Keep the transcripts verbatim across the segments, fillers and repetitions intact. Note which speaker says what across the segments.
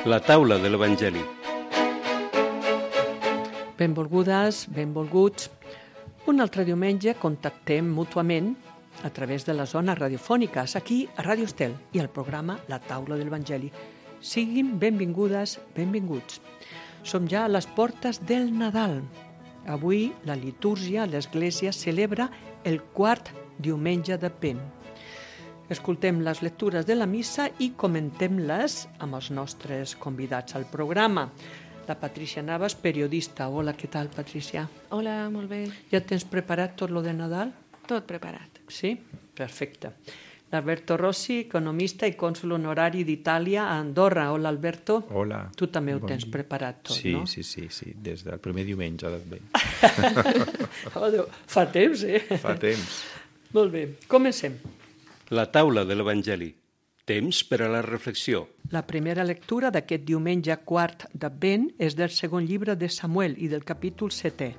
Speaker 1: La taula de l'Evangeli.
Speaker 2: Benvolgudes, benvolguts. Un altre diumenge contactem mútuament a través de les zones radiofòniques, aquí a Ràdio Estel i el programa La taula de l'Evangeli. Siguin benvingudes, benvinguts. Som ja a les portes del Nadal. Avui la litúrgia a l'Església celebra el quart diumenge d'Advent. Escoltem les lectures de la missa i comentem-les amb els nostres convidats al programa. La Patricia Navas, periodista. Hola, què tal, Patricia?
Speaker 3: Hola, molt bé.
Speaker 2: Ja tens preparat tot lo de Nadal?
Speaker 3: Tot preparat.
Speaker 2: Sí? Perfecte. L'Alberto Rossi, economista i cònsul honorari d'Itàlia a Andorra. Hola, Alberto.
Speaker 4: Hola.
Speaker 2: Tu també ho
Speaker 4: bon
Speaker 2: tens
Speaker 4: dia.
Speaker 2: preparat tot,
Speaker 4: sí,
Speaker 2: no?
Speaker 4: Sí, sí, sí, des del primer diumenge d'Advent.
Speaker 2: Oh, Déu, fa temps, eh?
Speaker 4: Fa temps.
Speaker 2: Molt bé, comencem.
Speaker 1: La taula de l'Evangeli. Temps per a la reflexió.
Speaker 2: La primera lectura d'aquest diumenge quart d'Advent és del segon llibre de Samuel i del capítol setè.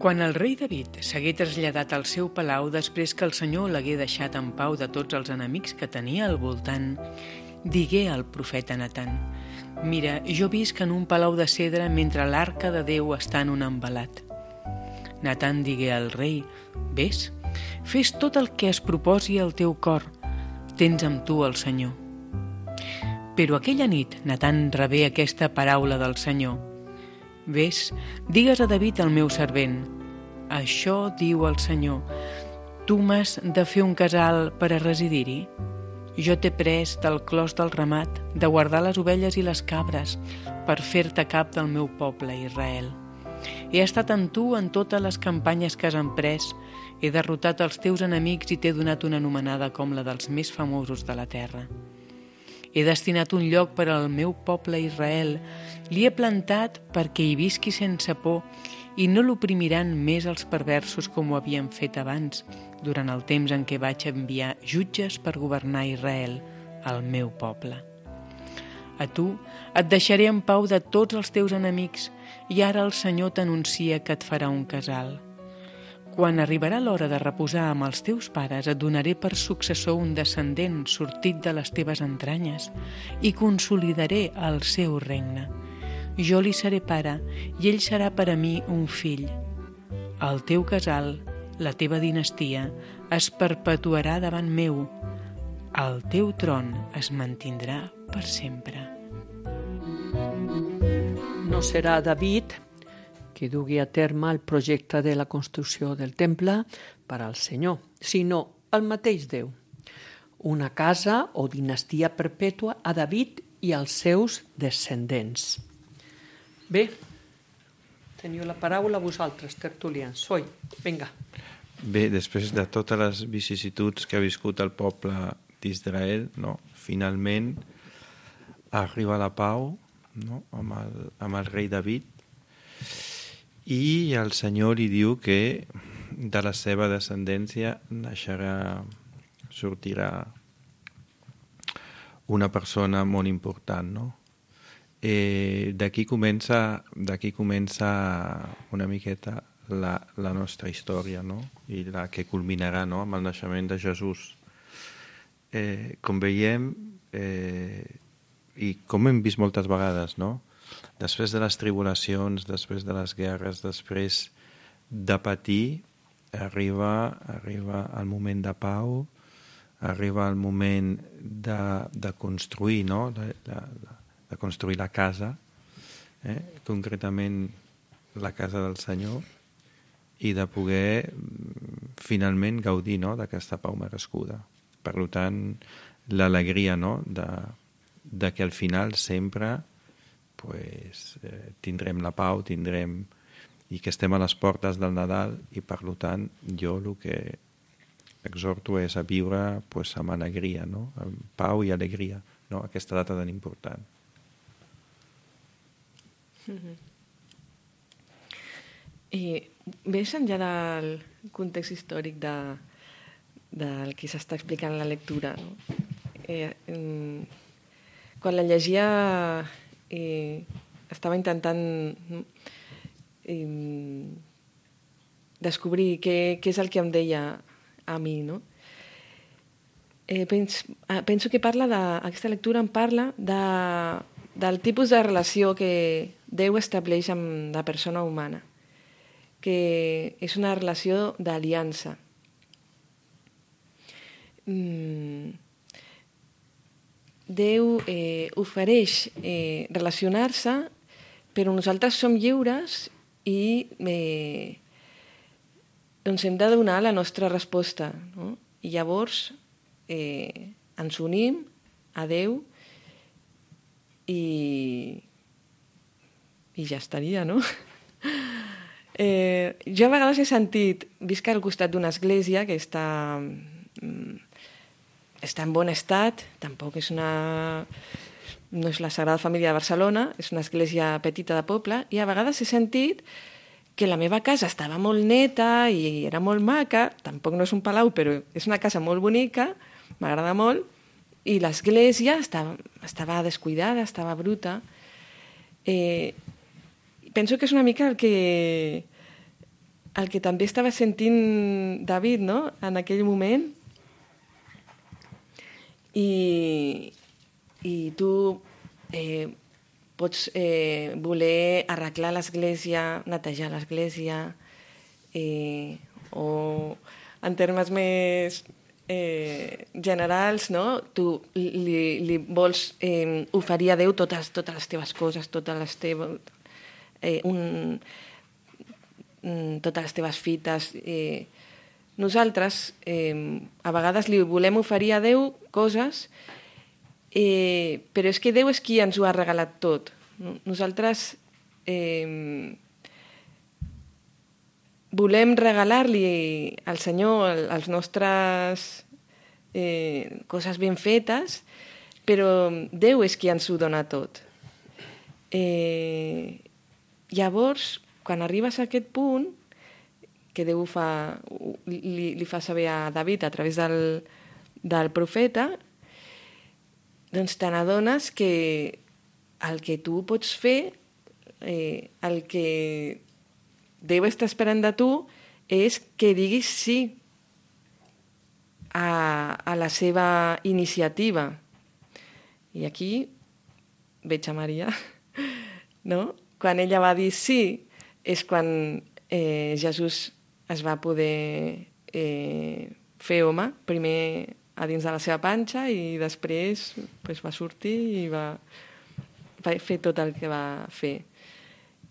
Speaker 5: Quan el rei David s'hagué traslladat al seu palau després que el Senyor l'hagué deixat en pau de tots els enemics que tenia al voltant, digué al profeta Natan: «Mira, jo visc en un palau de cedre mentre l'arca de Déu està en un envelat». Natan digué al rei: «Ves, fes tot el que es proposi al teu cor, tens amb tu el Senyor». Però aquella nit Natan rebé aquesta paraula del Senyor: «Ves, digues a David el meu servent, això diu el Senyor, tu m'has de fer un casal per a residir-hi? Jo t'he pres del clos del ramat, de guardar les ovelles i les cabres, per fer-te cap del meu poble Israel. He estat amb tu en totes les campanyes que has emprès, he derrotat els teus enemics i t'he donat una anomenada com la dels més famosos de la terra. He destinat un lloc per al meu poble Israel, l'hi he plantat perquè hi visqui sense por i no l'oprimiran més els perversos com ho havien fet abans, durant el temps en què vaig enviar jutges per governar Israel, el meu poble. A tu et deixaré en pau de tots els teus enemics i ara el Senyor t'anuncia que et farà un casal. Quan arribarà l'hora de reposar amb els teus pares, et donaré per successor un descendent sortit de les teves entranyes i consolidaré el seu regne. Jo li seré pare i ell serà per a mi un fill. El teu casal, la teva dinastia, es perpetuarà davant meu. El teu tron es mantindrà per sempre».
Speaker 2: No serà David qui dugui a terme el projecte de la construcció del temple per al Senyor, sinó el mateix Déu. Una casa o dinastia perpètua a David i als seus descendents. Bé, teniu la paraula vosaltres, tertulians. Soi, vinga.
Speaker 4: Bé, després de totes les vicissituds que ha viscut el poble d'Israel, no? Finalment arriba la pau, no? amb, el, amb el rei David, i el Senyor li diu que de la seva descendència naixerà, sortirà una persona molt important, no? Eh, d'aquí comença, d'aquí comença una miqueta la, la nostra història, no? I la que culminarà, no? Amb el naixement de Jesús. Eh, com veiem, eh, i com hem vist moltes vegades, no? Després de les tribulacions, després de les guerres, després de patir, arriba, arriba el moment de pau, arriba el moment de, de construir, no? de, de, de construir la casa, eh? concretament la casa del Senyor, i de poder finalment gaudir, no? d'aquesta pau merescuda. Per tant, l'alegria, no? de, de que al final sempre pues, eh, tindrem la pau, tindrem i que estem a les portes del Nadal, i per tant jo el que exhorto és a viure pues, amb alegria, no? amb pau i alegria, no? aquesta data tan important.
Speaker 3: Mm-hmm. I més enllà del context històric de, del que s'està explicant la lectura, no? eh, eh, quan la llegia eh, estava intentant eh, descobrir què, què és el que em deia a mi, no? eh, penso, penso que parla de, aquesta lectura em parla de, del tipus de relació que Déu estableix amb la persona humana, que és una relació d'aliança. Mm. Déu eh, ofereix eh, relacionar-se, però nosaltres som lliures i eh, doncs hem de donar la nostra resposta, no? I llavors eh, ens unim a Déu i, i ja estaria, no? eh, jo a vegades he sentit, visc al costat d'una església que està, està en bon estat, tampoc és una... no és la Sagrada Família de Barcelona, és una església petita de poble, i a vegades he sentit que la meva casa estava molt neta i era molt maca, tampoc no és un palau, però és una casa molt bonica, m'agrada molt, i l'església estava, estava descuidada, estava bruta. Eh, penso que és una mica el que, el que també estava sentint David, no?, en aquell moment. I, i tu eh, pots eh, voler arreglar l'església, netejar l'església, eh, o en termes més eh, generals, no? Tu li, li vols eh, oferir a Déu totes, totes les teves coses, totes les teves, eh, un, totes les teves fites. Eh. Nosaltres eh, a vegades li volem oferir a Déu coses, Eh, però és que Déu és qui ens ho ha regalat tot. Nosaltres eh, volem regalar-li al Senyor els nostres eh, coses ben fetes, però Déu és qui ens ho dona tot. Eh, llavors, quan arribes a aquest punt, que Déu fa, li, li fa saber a David a través del, del profeta, doncs te n'adones que el que tu pots fer, eh, el que Déu està esperant de tu, és que diguis sí a, a la seva iniciativa. I aquí veig a Maria, no? Quan ella va dir sí, és quan eh, Jesús es va poder eh, fer home, primer a dins de la seva panxa, i després pues, va sortir i va, va fer tot el que va fer.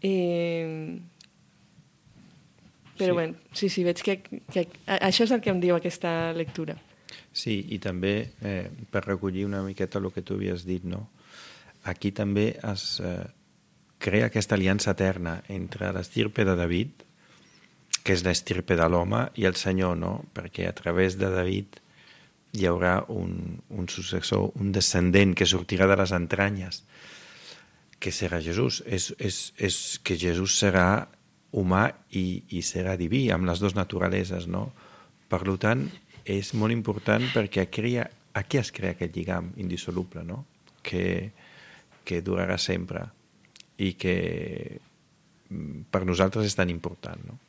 Speaker 3: Eh, però sí. Bueno, sí, sí, veig que, que això és el que em diu aquesta lectura.
Speaker 4: Sí, i també, eh, per recollir una miqueta el que tu havies dit, no? Aquí també es eh, crea aquesta aliança eterna entre l'estirpe de David, que és l'estirpe de l'home, i el Senyor, no? Perquè a través de David hi haurà un, un successor, un descendent que sortirà de les entranyes, que serà Jesús. És, és, és que Jesús serà humà i, i serà diví, amb les dues naturaleses, no? Per tant, és molt important perquè crea, aquí es crea aquest lligam indissoluble, no? Que, que durarà sempre i que per nosaltres és tan important, no?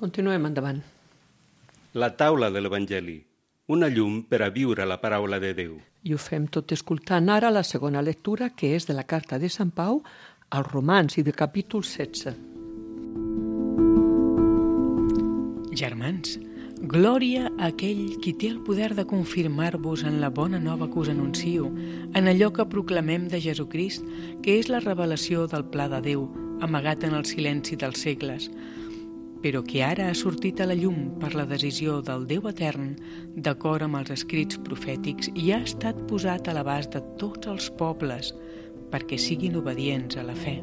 Speaker 2: Continuem endavant.
Speaker 1: La taula de l'Evangeli, una llum per a viure la paraula de Déu.
Speaker 2: I ho fem tot escoltant ara la segona lectura, que és de la carta de Sant Pau als Romans i del capítol setze.
Speaker 5: Germans, glòria a aquell qui té el poder de confirmar-vos en la bona nova que us anuncio, en allò que proclamem de Jesucrist, que és la revelació del pla de Déu, amagat en el silenci dels segles, però que ara ha sortit a la llum per la decisió del Déu etern, d'acord amb els escrits profètics, i ha estat posat a l'abast de tots els pobles, perquè siguin obedients a la fe.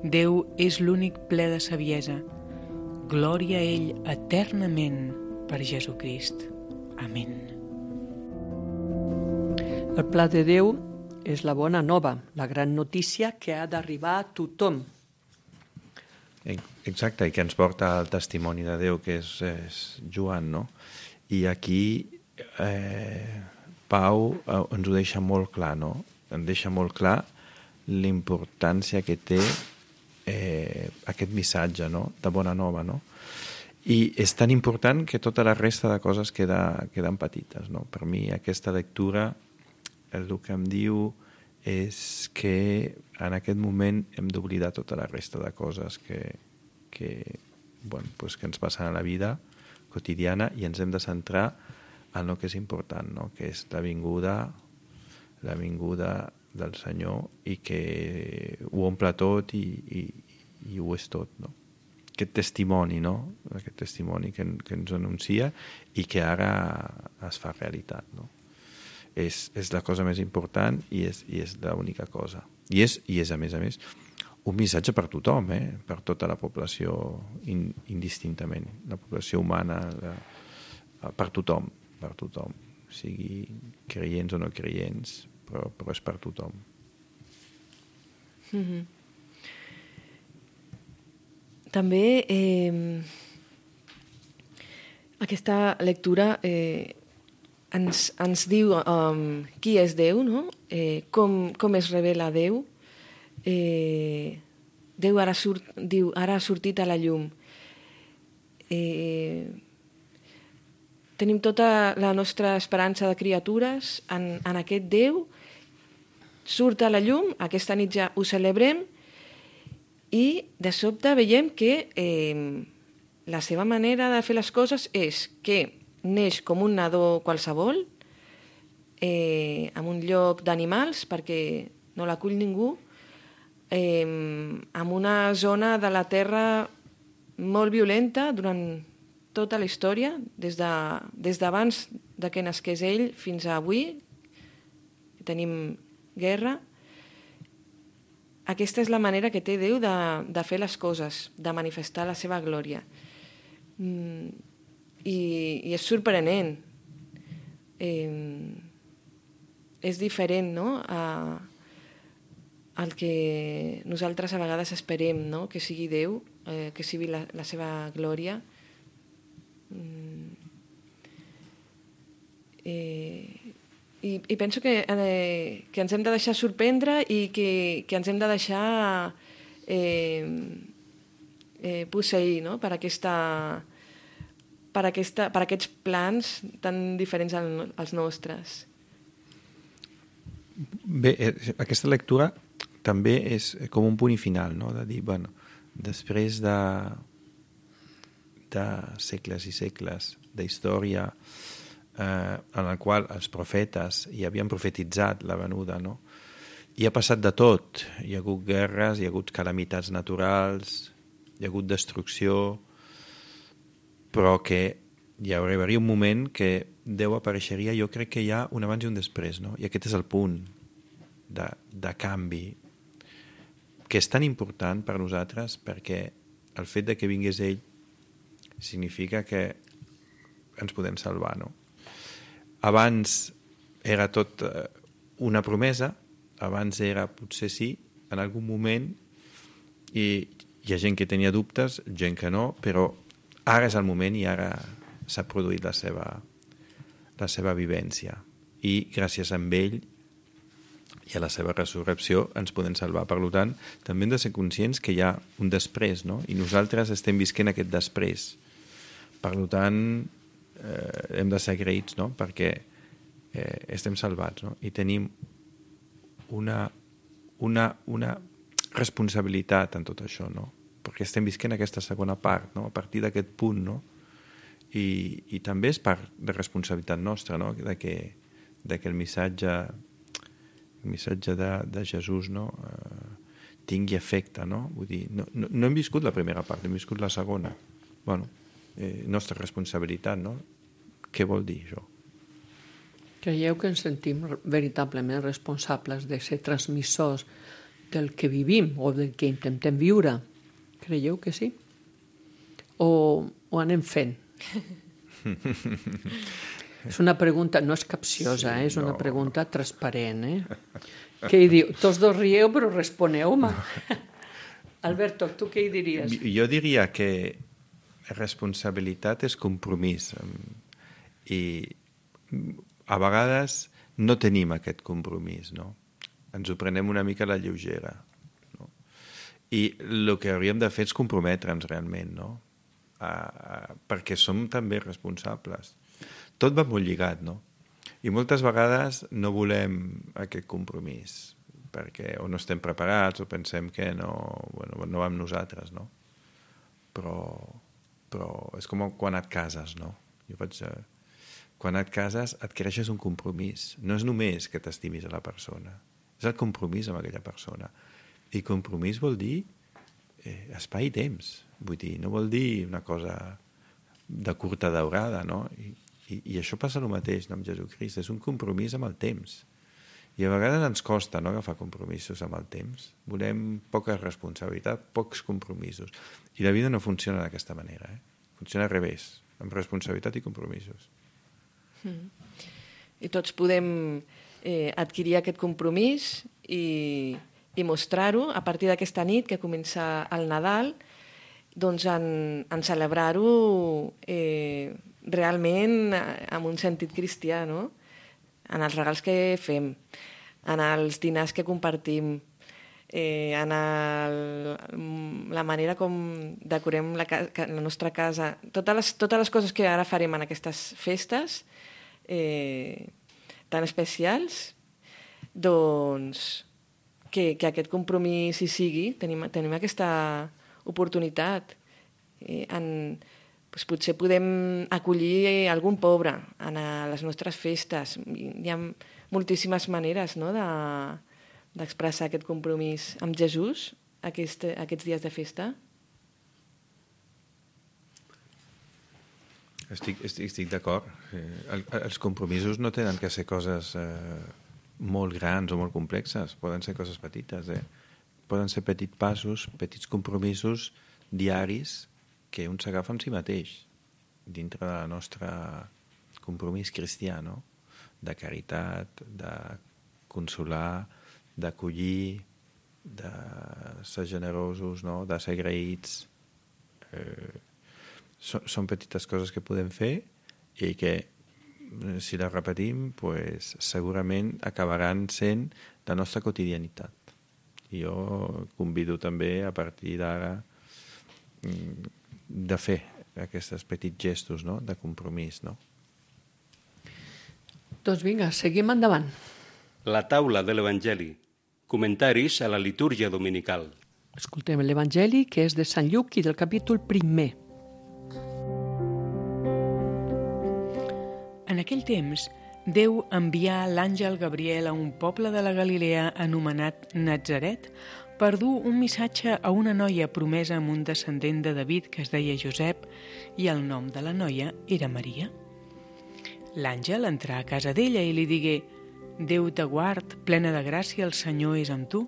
Speaker 5: Déu és l'únic ple de saviesa. Glòria a ell eternament per Jesucrist. Amén.
Speaker 2: El pla de Déu és la bona nova, la gran notícia que ha d'arribar a tothom.
Speaker 4: Exacte, i que ens porta al testimoni de Déu, que és, és Joan, no? I aquí eh, Pau eh, ens ho deixa molt clar, no? Ens deixa molt clar l'importància que té eh, aquest missatge, no? De bona nova, no? I és tan important que tota la resta de coses queda, queden petites, no? Per mi aquesta lectura el que em diu és que en aquest moment hem d'oblidar tota la resta de coses que, que, bueno, pues que ens passen a la vida quotidiana i ens hem de centrar en el que és important, no? Que és la vinguda, la vinguda del Senyor i que ho omple tot i, i, i ho és tot, no? Aquest testimoni, no? Aquest testimoni que, que ens anuncia i que ara es fa realitat, no? És, és la cosa més important i és, i és l'única cosa. I és, i és, a més a més, un missatge per tothom, eh? Per tota la població in, indistintament, la població humana, la, per tothom, per tothom, sigui creients o no creients, però, però és per tothom.
Speaker 3: Mm-hmm. També eh, aquesta lectura eh, ens, ens diu um, qui és Déu, no? eh, com, com es revela Déu. Eh, Déu ara, surt, diu, ara ha sortit a la llum. Eh, tenim tota la nostra esperança de criatures en, en aquest Déu. Surt a la llum, aquesta nit ja ho celebrem, i de sobte veiem que eh, la seva manera de fer les coses és que neix com un nadó qualsevol, eh, en un lloc d'animals, perquè no l'acull ningú, eh, en una zona de la Terra molt violenta durant tota la història, des de, des d'abans de que nasqués ell fins a avui, tenim guerra. Aquesta és la manera que té Déu de, de fer les coses, de manifestar la seva glòria. Mm, i, i és sorprenent. Eh, és diferent, no?, a, al que nosaltres a vegades esperem, no?, que sigui Déu, eh, que sigui la, la seva glòria. Mm, eh, I, i penso que, eh, que ens hem de deixar sorprendre i que, que ens hem de deixar eh, eh, posseir, no?, per, aquesta, per, aquesta, per aquests plans tan diferents al, als nostres.
Speaker 4: Bé, aquesta lectura també és com un punt final, no?, de dir, bueno, després de, de segles i segles d'història Eh, en el qual els profetes hi havien profetitzat la venuda, no? I ha passat de tot. Hi ha hagut guerres, hi ha hagut calamitats naturals, hi ha hagut destrucció, però que hi arribaria un moment que Déu apareixeria, jo crec que hi ha un abans i un després, no? I aquest és el punt de, de canvi, que és tan important per nosaltres perquè el fet de que vingués ell significa que ens podem salvar, no? Abans era tot una promesa, abans era potser sí, en algun moment, i hi ha gent que tenia dubtes, gent que no, però ara és el moment i ara s'ha produït la seva, la seva vivència. I gràcies a ell i a la seva resurrecció ens podem salvar. Per tant, també hem de ser conscients que hi ha un després, no? I nosaltres estem visquent aquest després. Per tant, Eh, hem de ser agraïts, no?, perquè eh, estem salvats, no?, i tenim una, una, una responsabilitat en tot això, no?, perquè estem visquent aquesta segona part, no?, a partir d'aquest punt, no?, i, i també és part de responsabilitat nostra, no?, de que, de que el missatge el missatge de, de Jesús, no?, eh, tingui efecte, no?, vull dir, no, no, no hem viscut la primera part, hem viscut la segona. Bueno, Eh, nostra responsabilitat, no? Què vol dir això?
Speaker 2: Creieu que ens sentim veritablement responsables de ser transmissors del que vivim o del que intentem viure? Creieu que sí? O, o anem fent? És una pregunta, no és capciosa, sí, eh? És una no. pregunta transparent, eh? Què hi diu? Tots dos rieu, però responeu-me. No. Alberto, tu què hi diries?
Speaker 4: Jo diria que responsabilitat és compromís i a vegades no tenim aquest compromís, no? Ens ho prenem una mica a la lleugera, no? I el que hauríem de fer és comprometre'ns realment, no?, a, a, perquè som també responsables. Tot va molt lligat, no? I moltes vegades no volem aquest compromís, perquè o no estem preparats o pensem que no, bueno, no va amb nosaltres, no? Però, però és com quan et cases, no? Jo vaig, eh, quan et cases adquireixes un compromís. No és només que t'estimis a la persona, és el compromís amb aquella persona. I compromís vol dir eh, espai i temps. Vull dir, no vol dir una cosa de curta daurada, no? I, i, i això passa el mateix, no, amb Jesucrist. És un compromís amb el temps. I a vegades ens costa, no, agafar compromisos amb el temps. Volem poca responsabilitat, pocs compromisos. I la vida no funciona d'aquesta manera. Eh? Funciona al revés, amb responsabilitat i compromisos.
Speaker 3: Mm. I tots podem eh, adquirir aquest compromís i, i mostrar-ho a partir d'aquesta nit que comença el Nadal, doncs en, en celebrar-ho eh, realment amb un sentit cristià, no? En els regals que fem, en els dinars que compartim, eh, en el, la manera com decorem la, la nostra casa, totes les, totes les coses que ara farem en aquestes festes eh, tan especials, doncs que, que aquest compromís hi sigui, tenim, tenim aquesta oportunitat. Eh, en, doncs potser podem acollir algun pobre en les nostres festes. Hi ha moltíssimes maneres, no, de, d'expressar aquest compromís amb Jesús aquest, aquests dies de festa.
Speaker 4: Estic, estic, estic d'acord. El, els compromisos no tenen que ser coses eh, molt grans o molt complexes. Poden ser coses petites. Eh? Poden ser petits passos, petits compromisos diaris que un s'agafa en si mateix, dintre de la nostra compromís cristià, no? De caritat, de consolar, d'acollir, de ser generosos, no? De ser agraïts. Eh, són, són petites coses que podem fer i que, si les repetim, pues, segurament acabaran sent la nostra quotidianitat. I jo convido també, a partir d'ara, de fer aquests petits gestos, no? De compromís, no?
Speaker 2: Doncs vinga, seguim endavant.
Speaker 1: La taula de l'Evangeli. Comentaris a la litúrgia dominical.
Speaker 2: Escoltem l'Evangeli, que és de Sant Lluc i del capítol primer.
Speaker 5: En aquell temps, Déu envià l'àngel Gabriel a un poble de la Galilea anomenat Natzaret per dur un missatge a una noia promesa amb un descendent de David que es deia Josep i el nom de la noia era Maria. L'àngel entrà a casa d'ella i li digué: «Déu te guard, plena de gràcia, el Senyor és amb tu».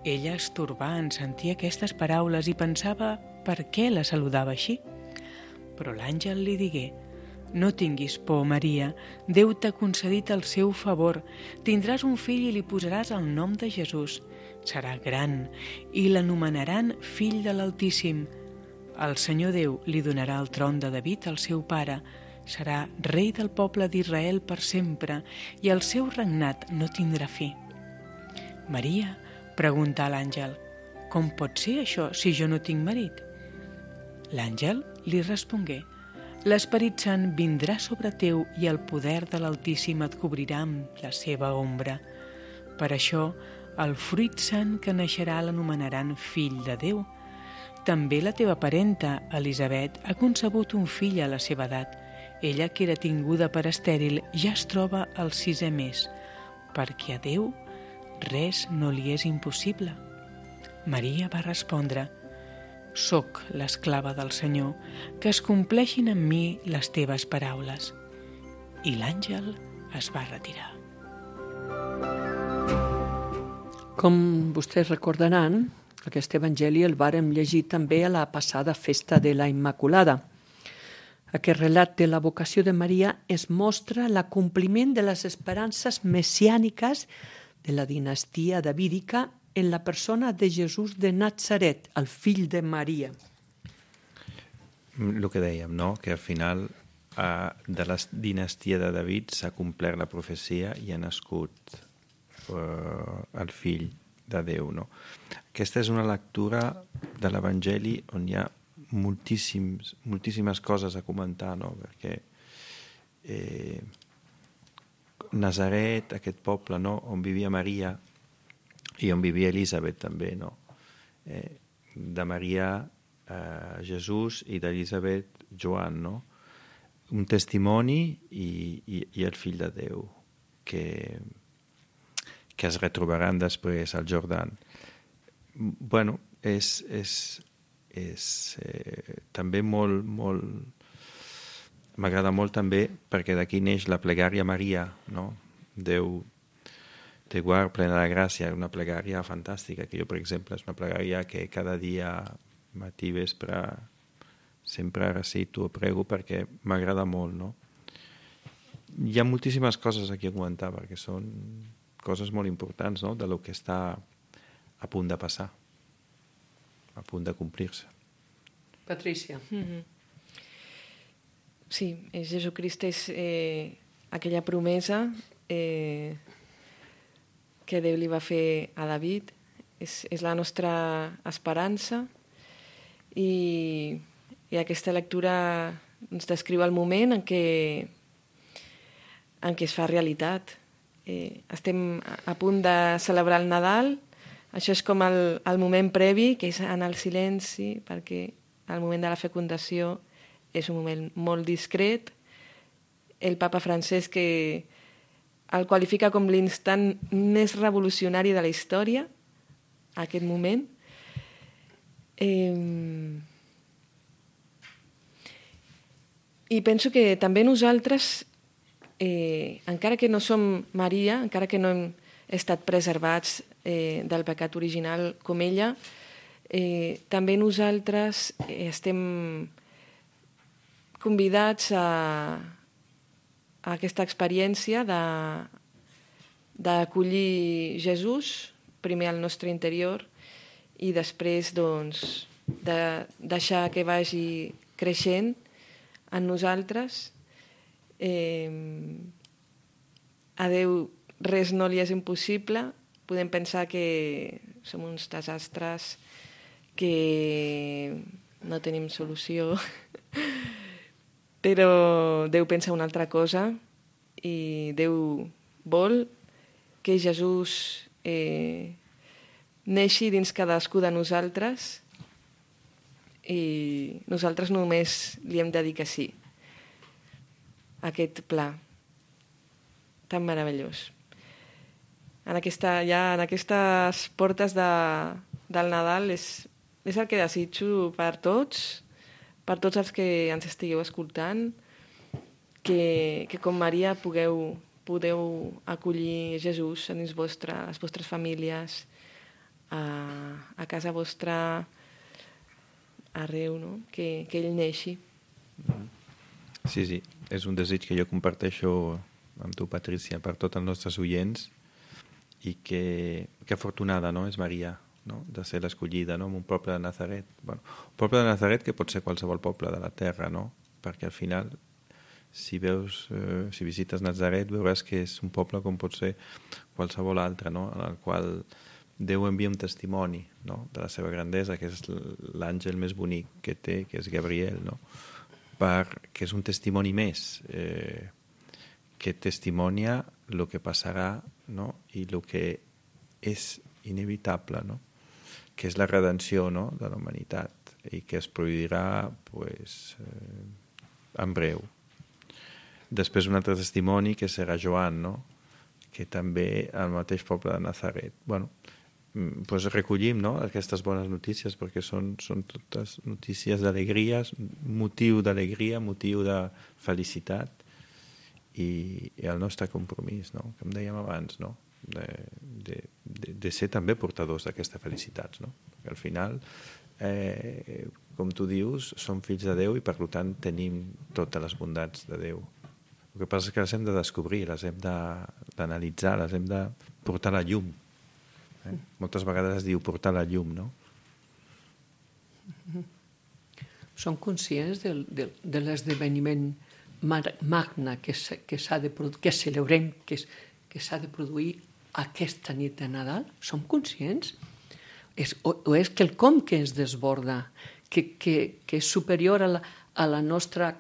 Speaker 5: Ella es torbà en sentir aquestes paraules i pensava per què la saludava així. Però l'àngel li digué: «No tinguis por, Maria, Déu t'ha concedit el seu favor, tindràs un fill i li posaràs el nom de Jesús. Serà gran i l'anomenaran fill de l'Altíssim. El Senyor Déu li donarà el tron de David, el seu pare. Serà rei del poble d'Israel per sempre i el seu regnat no tindrà fi». «Maria», preguntà l'àngel, «com pot ser això si jo no tinc marit?» L'àngel li respongué: «L'Esperit Sant vindrà sobre teu i el poder de l'Altíssim et cobrirà amb la seva ombra. Per això, el fruit sant que naixerà l'anomenaran fill de Déu. També la teva parenta, Elisabet, ha concebut un fill a la seva edat. Ella, que era tinguda per estèril, ja es troba al sisè mes, perquè a Déu res no li és impossible». Maria va respondre: «Soc l'esclava del Senyor, que es compleixin en mi les teves paraules». I l'àngel es va retirar.
Speaker 2: Com vostès recordaran, aquest evangeli el vàrem llegir també a la passada festa de la Immaculada. Aquest relat de la vocació de Maria es mostra l'acompliment de les esperances messiàniques de la dinastia davídica en la persona de Jesús de Natzaret, el fill de Maria.
Speaker 4: El que dèiem, no? Que al final eh, de la dinastia de David s'ha complert la profecia i ha nascut eh, el fill de Déu, no? Aquesta és una lectura de l'Evangeli on hi ha moltíssims, moltíssimes coses a comentar, no? Perquè eh, Nazaret, aquest poble, no? On vivia Maria i on vivia Elisabet també, no? Eh, de Maria eh, Jesús i d'Elisabet Joan, no? Un testimoni i, i, i el fill de Déu que, que es retrobaran després al Jordan. Bueno, és, és, és eh, també molt, molt... M'agrada molt també perquè d'aquí neix la plegària Maria, no? Déu te guard plena de gràcia, una plegària fantàstica, que jo, per exemple, és una plegària que cada dia, matí, vespre, sempre recito o prego perquè m'agrada molt, no? Hi ha moltíssimes coses aquí a comentar perquè són coses molt importants, no? De lo que està a punt de passar, a punt de complir-se.
Speaker 2: Patrícia.
Speaker 3: Mm-hmm. Sí, Jesucrist és eh, aquella promesa eh, que Déu li va fer a David, és, és la nostra esperança i, i aquesta lectura ens descriu el moment en què, en què es fa realitat. Eh, estem a punt de celebrar el Nadal, això és com el, el moment previ, que és en el silenci, perquè el moment de la fecundació és un moment molt discret. El papa francès que el qualifica com l'instant més revolucionari de la història, aquest moment. Eh... I penso que també nosaltres, eh, encara que no som Maria, encara que no hem estat preservats eh, del pecat original com ella, eh, també nosaltres eh, estem convidats a, a aquesta experiència de, d'acollir Jesús, primer al nostre interior, i després doncs, de deixar que vagi creixent en nosaltres. Eh, a Déu res no li és impossible. Podem pensar que som uns desastres, que no tenim solució, però Déu pensa una altra cosa i Déu vol que Jesús eh, neixi dins cadascú de nosaltres i nosaltres només li hem de dir que sí a aquest pla tan meravellós. En aquesta, ja en aquestes portes de, del Nadal és, és el que desitjo per tots, per tots els que ens estigueu escoltant, que, que com Maria pugueu, podeu acollir Jesús en les vostres, les vostres famílies, a, a casa vostra, arreu, no? que, que ell neixi.
Speaker 4: Sí, sí, és un desig que jo comparteixo amb tu, Patrícia, per tots els nostres oients, i que, que afortunada, no?, és Maria, no?, de ser l'escollida, no?, en un poble de Nazaret. Bueno, un poble de Nazaret que pot ser qualsevol poble de la terra, no?, perquè al final, si veus, eh, si visites Nazaret, veuràs que és un poble com pot ser qualsevol altre, no?, en el qual Déu envia un testimoni, no?, de la seva grandesa, que és l'àngel més bonic que té, que és Gabriel, no?, per, que és un testimoni més, eh, que testimonia el que passarà, no?, i el que és inevitable, no?, que és la redenció, no?, de la humanitat i que es produirà pues, eh, en breu. Després un altre testimoni que serà Joan, no?, que també al mateix poble de Nazaret. Bueno, pues recollim, no?, aquestes bones notícies perquè són, són totes notícies d'alegria, motiu d'alegria, motiu de felicitat i, i el nostre compromís, no?, com dèiem abans, no?, de, de, de, de ser també portadors d'aquestes felicitats, no?, perquè al final, eh, com tu dius, som fills de Déu i per tant tenim totes les bondats de Déu. El que passa és que les hem de descobrir, les hem d'analitzar, les hem de portar a la llum. Eh? Moltes vegades es diu portar la llum, no?
Speaker 2: Som conscients del, del, de l'esdeveniment magna que, que, de, que celebrem, que, que s'ha de produir aquesta nit de Nadal? Som conscients? És, o, o és quelcom que ens desborda, que, que, que és superior a la, a la nostra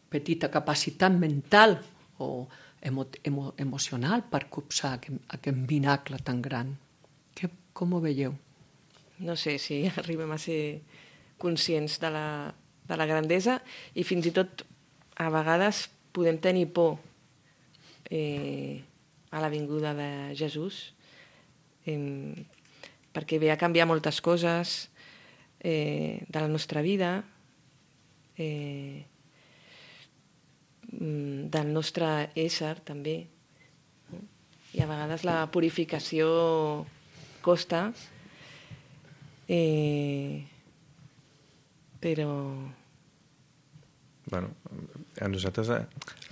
Speaker 2: petita capacitat mental o emo, emo, emocional per copsar aquest, aquest vinacle tan gran. Que, com ho veieu?
Speaker 3: No sé si arribem a ser conscients de la, de la grandesa i fins i tot a vegades podem tenir por eh, a la vinguda de Jesús, eh, perquè ve a canviar moltes coses eh, de la nostra vida, eh, del nostre ésser també, i a vegades la purificació costa, eh, però
Speaker 4: bueno, a nosaltres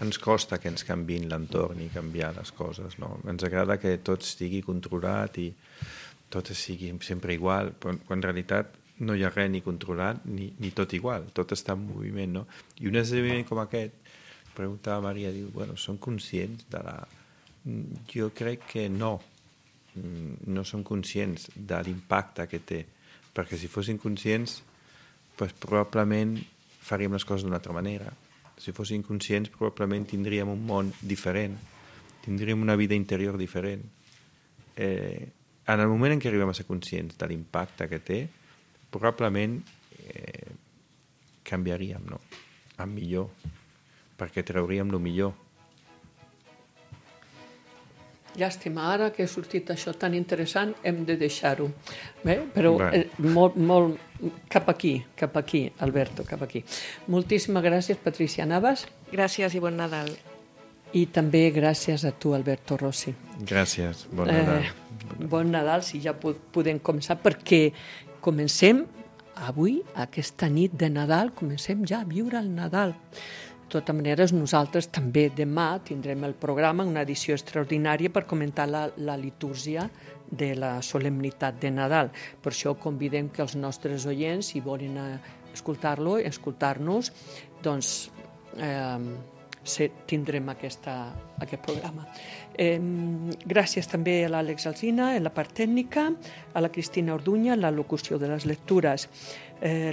Speaker 4: ens costa que ens canviïn l'entorn i canviar les coses, no? Ens agrada que tot estigui controlat i tot sigui sempre igual, però en realitat no hi ha res ni controlat ni, ni tot igual, tot està en moviment, no? I un esdeveniment com aquest, preguntava Maria, diu, bueno, són conscients de la... Jo crec que no, no són conscients de l'impacte que té, perquè si fossin conscients, pues, probablement faríem les coses d'una altra manera. Si fossin conscients, probablement tindríem un món diferent, tindríem una vida interior diferent. Eh, en el moment en què arribem a ser conscients de l'impacte que té, probablement eh, canviaríem, no? A millor, perquè trauríem el millor.
Speaker 2: Llàstima, ara que ha sortit això tan interessant, hem de deixar-ho. Bé, però
Speaker 4: Bé.
Speaker 2: eh, molt, molt... Cap aquí, cap aquí, Alberto, cap aquí. Moltíssimes gràcies, Patricia Navas.
Speaker 3: gràcies i bon Nadal.
Speaker 2: I també gràcies a tu, Alberto Rossi.
Speaker 4: Gràcies, bon Nadal.
Speaker 2: Eh, bon Nadal, si ja podem començar, perquè comencem avui, aquesta nit de Nadal, comencem ja a viure el Nadal. De tota manera, nosaltres també demà tindrem el programa, una edició extraordinària per comentar la, la litúrgia de la solemnitat de Nadal. Per això convidem que els nostres oients, si volen escoltar-lo, escoltar-nos, doncs eh, tindrem aquesta, aquest programa. Eh, gràcies també a l'Àlex Alsina, en la part tècnica, a la Cristina Orduña, en la locució de les lectures. Eh,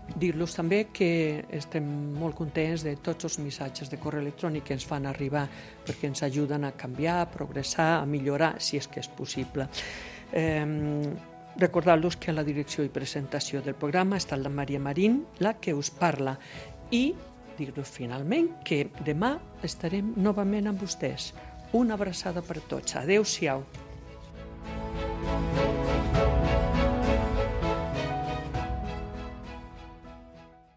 Speaker 2: Dir-los també que estem molt contents de tots els missatges de correu electrònic que ens fan arribar perquè ens ajuden a canviar, a progressar, a millorar, si és que és possible. Eh, recordar-los que a la direcció i presentació del programa està la Maria Marín, la que us parla, i dir-los finalment que demà estarem novament amb vostès. Una abraçada per tots. Adéu-siau.